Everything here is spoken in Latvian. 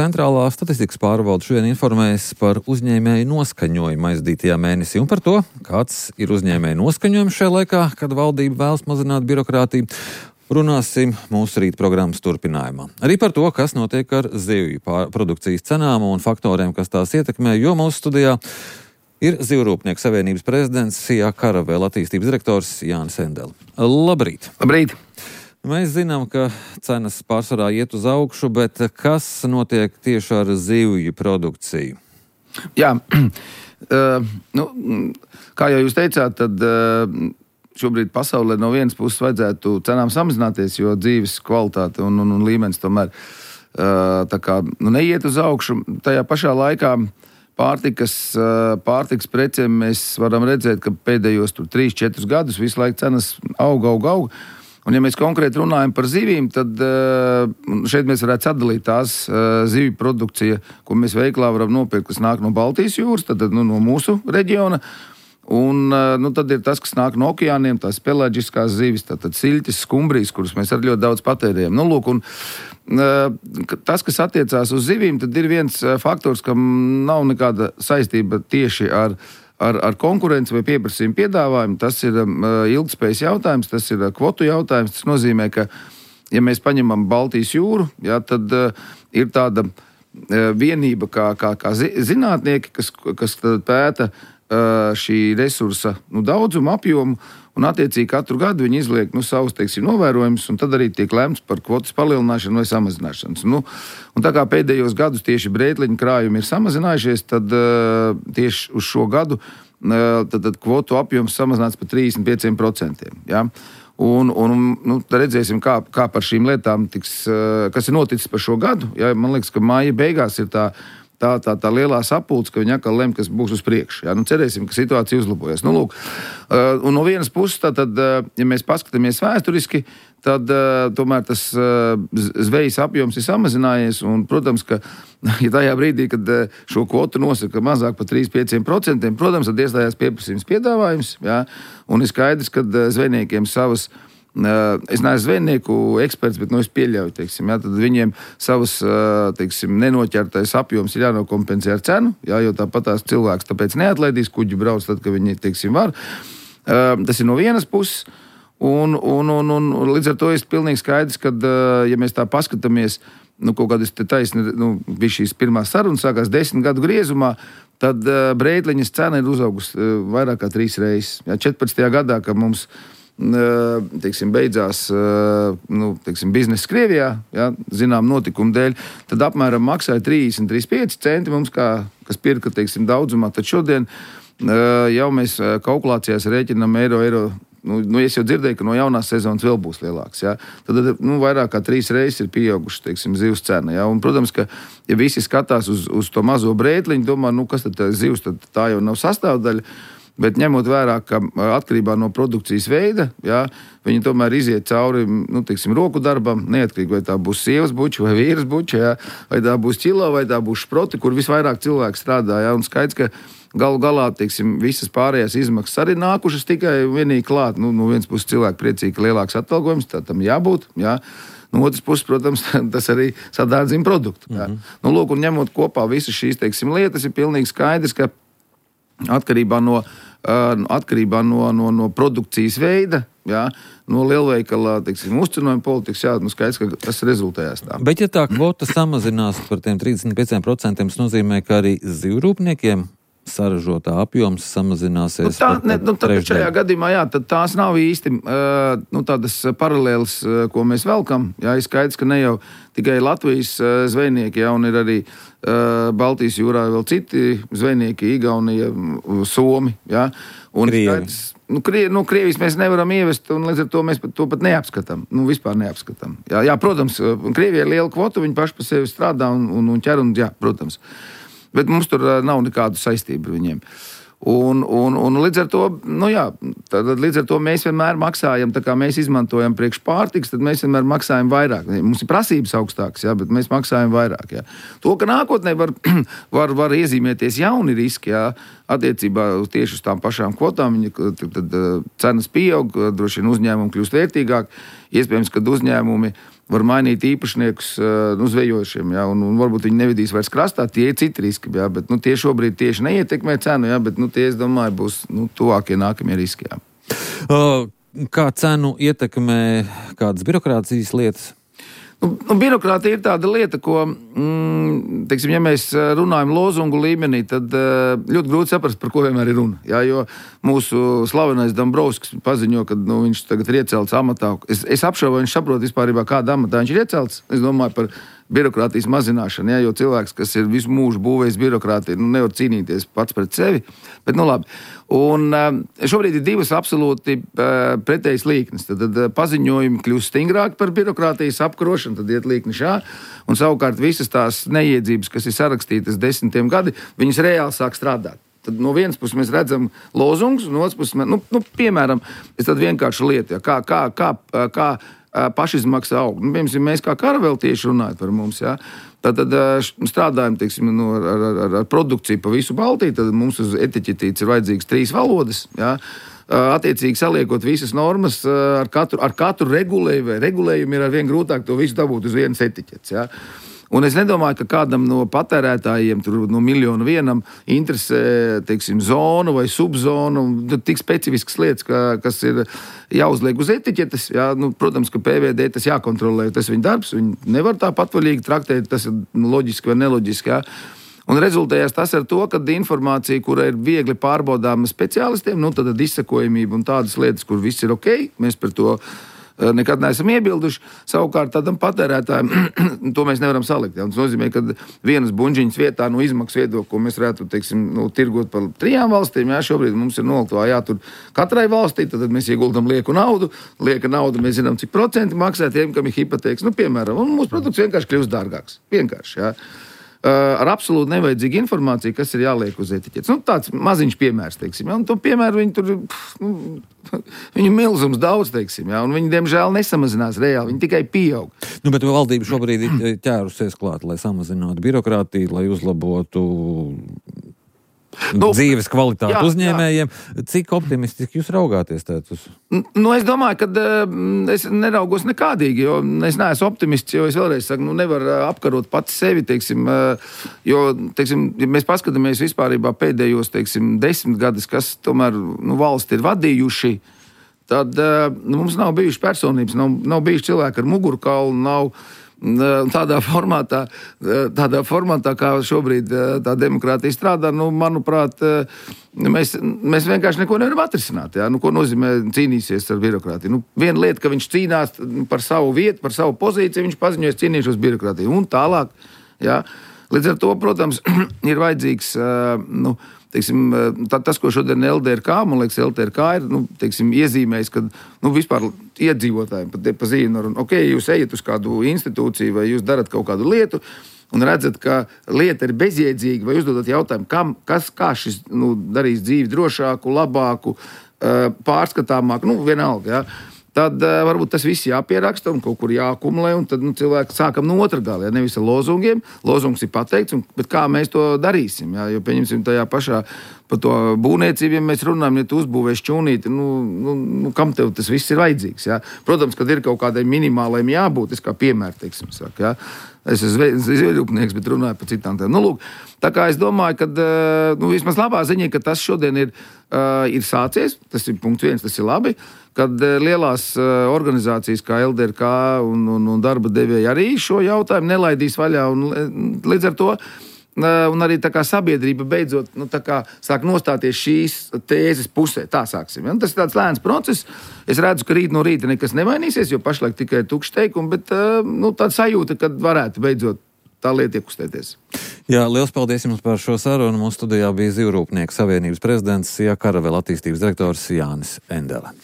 centrālā statistikas pārvalde šodien informēs par uzņēmēju noskaņojumu aizdītajā mēnesī un par to, kāds ir uzņēmēju noskaņojums šajā laikā, kad valdība vēlas mazināt birokrātiju. Runāsim mūsu rīt programmas turpinājumā. Arī par to, kas notiek ar zivju produkcijas cenām un faktoriem, kas tās ietekmē, jo mūsu studijā ir Zivjrūpnieku savienības prezidents Sijā Karavēla attīstības direktors Jānis Endele. Labrīt! Labrīt! Mēs zinām, ka cenas pārsvarā iet uz augšu, bet kas notiek tieši ar zivju produkciju? Jā, kā jau jūs teicāt, tad šobrīd pasaulē no vienas puses vajadzētu cenām samazināties, jo dzīves kvalitāte un līmenis tomēr neiet uz augšu. Tajā pašā laikā pārtikas precēm mēs varam redzēt, ka pēdējos 3-4 gadus visu laiku cenas aug. Un ja mēs konkrēti runājam par zivīm, tad šeit mēs varētu sadalīt tās zivju produkcija, ko mēs veiklā varam nopirkt, kas nāk no Baltijas jūras, tad no mūsu reģiona. Un tad ir tas, kas nāk no okeāniem, tās pelaģiskās zivis, tātad siļķis, skumbrijas, kuras mēs arī ļoti daudz patērējam. Tas, kas attiecās uz zivīm, tad ir viens faktors, kam nav nekāda saistība tieši ar konkurenci vai pieprasījumu piedāvājumu. Tas ir ilgtspējas jautājums, tas ir kvotu jautājums. Tas nozīmē, ka, ja mēs paņemam Baltijas jūru, tad ir tāda vienība kā zinātnieki, kas pēta šī resursa daudzumu, apjomu, un attiecīgi katru gadu viņi izliek savus, novērojumus, un tad arī tiek lemts par kvotas palielināšanu vai samazināšanas. Un tā kā pēdējos gadus tieši brētliņu krājumi ir samazinājušies, tad tieši uz šo gadu tad kvotu apjoms samazināts par 35%. Ja? Un redzēsim, kā par šīm lietām tiks, kas ir noticis par šo gadu. Ja? Man liekas, ka māja beigās ir tā lielā sapulce, ka viņi atkal lem, kas būs uz priekšu. Ja? Cerēsim, ka situācija uzlabojas. Un no vienas puses, tad, ja mēs paskatāmies vēsturiski, tad tomēr tas zvejas apjoms ir samazinājies. Un, protams, ka ja tajā brīdī, kad šo kvotu nosaka mazāk par 3-5%, protams, tad iestājās pieprasījums piedāvājums. Ja? Un ir skaidrs, ka zvejniekiem savas. Es neesmu zvejnieku eksperts, bet es pieļauju, tad viņiem savas nenoķertais apjoms ir jānokompensē ar cenu, jo tāpat tās cilvēks tāpēc neatlaidīs kuģi brauc, tad, kad viņi, var. Tas ir no vienas puses, un līdz ar to ir pilnīgi skaidrs, ka, ja mēs tā paskatāmies, kaut kādas taisni, bija šīs pirmās sarunas, sākās 10 gadu griezumā, tad brētliņas cena ir uzaugusi vairāk kā 3 reizes. 14. gadā, kad mums beidzās biznesa Krievijā, zinām notikumu dēļ, tad apmēram maksāja 30-35 centi mums, kas pirka, daudzumā. Tad šodien jau mēs kalkulācijās rēķinam eiro. Es jau dzirdēju, ka no jaunās sezonas vēl būs lielāks. Ja? Tad vairāk kā 3 reizes ir pieauguši zivs cena. Ja? Un, protams, ka ja visi skatās uz to mazo brētliņu, domā, kas tad zivs, tad tā jau nav sastāvdaļa. Bet ņemot vērā, ka atkarībā no produkcijas veida, viņi tomēr iziet cauri roku darbam, neatkarīgi vai tā būs sievas buča vai vīras buča, vai tā būs ķilo, vai tā būs šproti, kur visvairāk cilvēku strādā. Un skaidrs, ka galu galā visas pārējās izmaksas arī nākušas tikai vienīgi klāt. No vienas puses cilvēki priecīgi, ka lielāks atalgojums, tā tam jābūt. No otras puses, protams, tas arī sadārdzina produktu. Un ņemot kopā visas šīs lietas, ir pilnīgi skaidrs, ka atkarībā no produkcijas veida, no lielveikala, uzcenojuma politikas, skaidrs, ka tas rezultējās tā. Bet ja tā kvota samazinās par tiem 35%, tas nozīmē, ka arī zivjrūpniekiem saražotā apjoms samazināsies. Šajā gadījumā, tad tās nav īsti tādas paralēlas, ko mēs velkam. Ir skaidrs, ka ne jau tikai Latvijas zvejnieki, un ir arī Baltijas jūrā vēl citi zvejnieki, Igaunija, Somi. Un skaidrs, Krievijas mēs nevaram ievest, un līdz ar to mēs to pat neapskatām. Vispār neapskatām. Protams, Krievija ir liela kvota, viņi paši pa sevi strādā un ķer, protams. Bet mums tur nav nekādu saistību ar viņiem. Un līdz ar to, līdz ar to mēs vienmēr maksājam, tā kā mēs izmantojam priekš pārtiks, tad mēs vienmēr maksājam vairāk. Mums ir prasības augstākas, bet mēs maksājam vairāk. To, ka nākotnē var iezīmēties jauni riski, attiecībā tieši uz tām pašām kvotām, tad cenas pieaug, droši vien uzņēmumi kļūst vērtīgāk. Iespējams, ka uzņēmumi var mainīt īpašniekus zvejošiem, ja, un varbūt viņi nevedīs vairs krastā, tie ir citi riski, ja, bet tie šobrīd tieši neietekmē cenu, ja, bet tie, es domāju, būs tuvākie nākamie riski. Ja. Kā cenu ietekmē kādas birokrātijas lietas? Birokrātija ir tāda lieta, ko, teiksim, ja mēs runājam lozungu līmenī, tad ļoti grūti saprast, par ko vienmēr ir runa. Jā, jo mūsu slavenais Dombrovskis paziņo, ka viņš tagad ir iecelts amatā. Es apšaubu, viņš saprot vispārībā, kādā amatā viņš ir iecelts. Es domāju par birokrātijas mazināšanu, jā, jo cilvēks, kas ir visu mūžu būvējis birokrātiju, nevar cīnīties pats pret sevi. Bet, labi. Un šobrīd ir divas absolūti pretējas līknes. Tad paziņojumi kļūst stingrāki par birokrātijas apkarošanu, tad iet līkni šā. Un savukārt visas tās neiedzības, kas ir sarakstītas 10 gadi, viņas reāli sāk strādāt. Tad no vienas puses mēs redzam lozungus, no otras puses, piemēram, es tad vienkārši lietu, ja, kā pašizmaksa aug. Piemēram, mēs kā karavēltieši runājam par mums, ja. Tad strādājam, teiksim, ar produkciju pa visu Baltiju, tad mums uz etiķetītes ir vajadzīgas 3 valodas, ja. Attiecīgi saliekot visas normas, ar katru regulējumu ir arvien grūtāk to visu dabūt uz vienas etiķetes, ja. Un es nedomāju, ka kādam no patērētājiem, tur no 1 miljonu vienam, interesē, teiksim, zonu vai subzonu, tik specifiskas lietas, kas ir jāuzliek uz etiķetes. Jā, protams, ka PVD tas jākontrolē, tas viņa darbs, viņi nevar tā patvaļīgi traktēt, tas ir loģiski vai neloģiski, jā. Un rezultējās tas ar to, ka informācija, kura ir viegli pārbaudāma speciālistiem, tad izsekojamība un tādas lietas, kur viss ir ok, mēs par to nekad neesam iebilduši. Savukārt tādam patērētājam to mēs nevaram salikt. Ja? Tas nozīmē, ka vienas buņģiņas vietā no izmaksu viedokļa, ko mēs varētu, teiksim, tirgot par 3 valstīm, ja? Šobrīd mums ir noliktā jātur katrai valstī, tad mēs ieguldam lieku naudu. Lieka nauda, mēs zinām, cik procenti maksā tiem, kam ir hipotēkas. Piemēram, un mūsu produkts vienkārši kļūst dārgāks. Vienkārši, ja? Ar absolūti nevajadzīgu informāciju, kas ir jāliek uz etiķetes. Tāds maziņš piemērs, teiksim. Ja? Un to piemēru viņi tur, viņu milzums daudz, teiksim. Ja? Un viņi, diemžēl, nesamazinās reāli, viņi tikai pieaug. Bet valdība šobrīd ir ķērusies klāt, lai samazinātu birokrātiju, lai uzlabotu dzīves kvalitāti uzņēmējiem. Cik optimistiski jūs raugāties uz? Es domāju, ka es neraugos nekādīgi, jo es neesmu optimists, jo es vēlreiz saku, nevar apkarot pats sevi, teiksim, jo, teiksim, ja mēs paskatāmies vispārībā pēdējos, teiksim, 10 gadus, kas tomēr valsti ir vadījuši, tad mums nav bijuši personības, nav bijuši cilvēki ar mugurkaulu, nav tādā formātā, kā šobrīd tā demokrātija strādā, manuprāt, mēs vienkārši neko nevaram atrisināt. Ja? Ko nozīmē cīnīsies ar birokrātiju? Viena lieta, ka viņš cīnās par savu vietu, par savu pozīciju, viņš paziņojas cīnīšos birokrātiju. Un tālāk, ja? Līdz ar to, protams, ir vajadzīgs, teiksim, tas, ko šodien LDRK, man liekas, LDRK ir, teiksim, iezīmējis, ka, vispār iedzīvotājiem pa zīnu, ok, jūs ejat uz kādu institūciju vai jūs darat kaut kādu lietu un redzat, ka lieta ir bezjēdzīga vai uzdodat jautājumu, kā šis, darīs dzīvi drošāku, labāku, pārskatāmāku, vienalga, ja. Tad varbūt tas viss jāpieraksta un kaut kur jāakumulē, un tad cilvēki sākam no otra gala, ja, nevis ar lozungiem. Lozungs ir pateikts, bet kā mēs to darīsim? Ja, jo, pieņemsim, tajā pašā par to būvniecību, ja mēs runājam, ja tu uzbūvē šķūnīti, kam tev tas viss ir vajadzīgs? Ja? Protams, kad ir kaut kādai minimālajiem jābūt, es kā piemēru, teiksim, saku, ja? Es esmu zvejnieks, bet runāju par citām tēmām. Lūk, tā kā es domāju, ka vismaz labā ziņa, ka tas šodien ir sācies, tas ir punkts 1, tas ir labi, kad lielās organizācijas kā LDRK un darba devēji arī šo jautājumu nelaidīs vaļā, un līdz ar to un arī tā kā sabiedrība beidzot sāk nostāties šīs tēzes pusē. Tā sāksim. Ja? Tas ir tāds lēns process. Es redzu, ka rīt no rīta nekas nemainīsies, jo pašlaik tikai tukšs teikumi, bet tāda sajūta, ka varētu beidzot tā lieta iekustēties. Jā, liels paldies jums par šo sarunu. Mūsu studijā bija Zivju rūpnieku savienības prezidents, Sija Karavela attīstības direktors Jānis Endele.